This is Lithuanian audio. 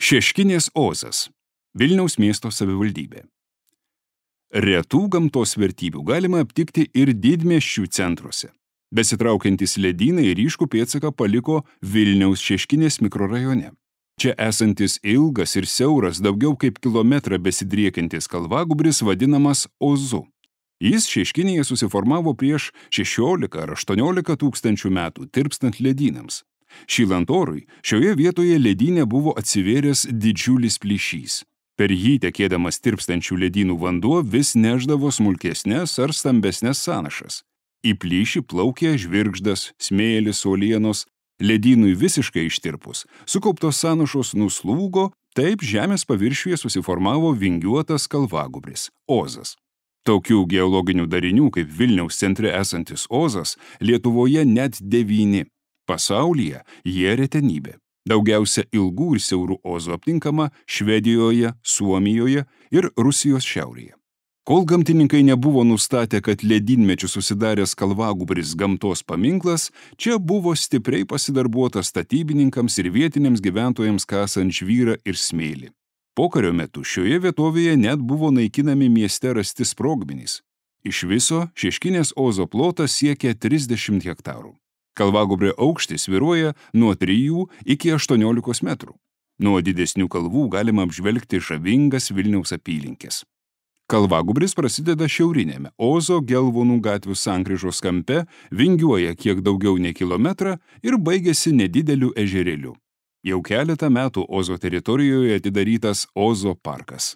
Šeškinės Ozas, Vilniaus miesto savivaldybė. Retų gamtos vertybių galima aptikti ir didmiesčių centruose. Besitraukiantys ledynai ryškų pėdsaką paliko Vilniaus Šeškinės mikrorajone. Čia esantis ilgas ir siauras daugiau kaip kilometrą besidriekiantis kalvagūbris vadinamas Ozu. Jis Šeškinėje susiformavo prieš 16 ar 18 tūkstančių metų tirpstant ledynams. Šylant orui, šioje vietoje ledyne buvo atsivėręs didžiulis plyšys. Per jį tekėdamas tirpstančių ledynų vanduo vis nešdavo smulkesnes ar stambesnes sąnašas. Į plyšį plaukė žvirgždas, smėlis, uolienos. Ledynui visiškai ištirpus, sukauptos sąnašos nuslūgo, taip žemės paviršiuje susiformavo vingiuotas kalvagūbris – Ozas. Tokių geologinių darinių kaip Vilniaus centre esantis Ozas Lietuvoje net 9. Pasaulyje jie retenybė. Daugiausia ilgų ir siaurų Ozų aptinkama Švedijoje, Suomijoje ir Rusijos šiaurėje. Kol gamtininkai nebuvo nustatę, kad ledynmečiu susidaręs kalvagūbris gamtos paminklas, čia buvo stipriai pasidarbuota statybininkams ir vietiniams gyventojams kasant žvyrą ir smėlį. Pokario metu šioje vietovėje net buvo naikinami mieste rasti sprogmenys. Iš viso Šeškinės Ozo plotas siekia 30 hektarų. Kalvagūbrio aukštis svyruoja nuo 3 iki 18 metrų. Nuo didesnių kalvų galima apžvelgti žavingas Vilniaus apylinkes. Kalvagūbris prasideda šiaurinėme Ozo Gelvonų gatvių sankryžos kampe, vingiuoja kiek daugiau nei kilometrą ir baigiasi nedideliu ežerėliu. Jau keletą metų Ozo teritorijoje atidarytas Ozo parkas.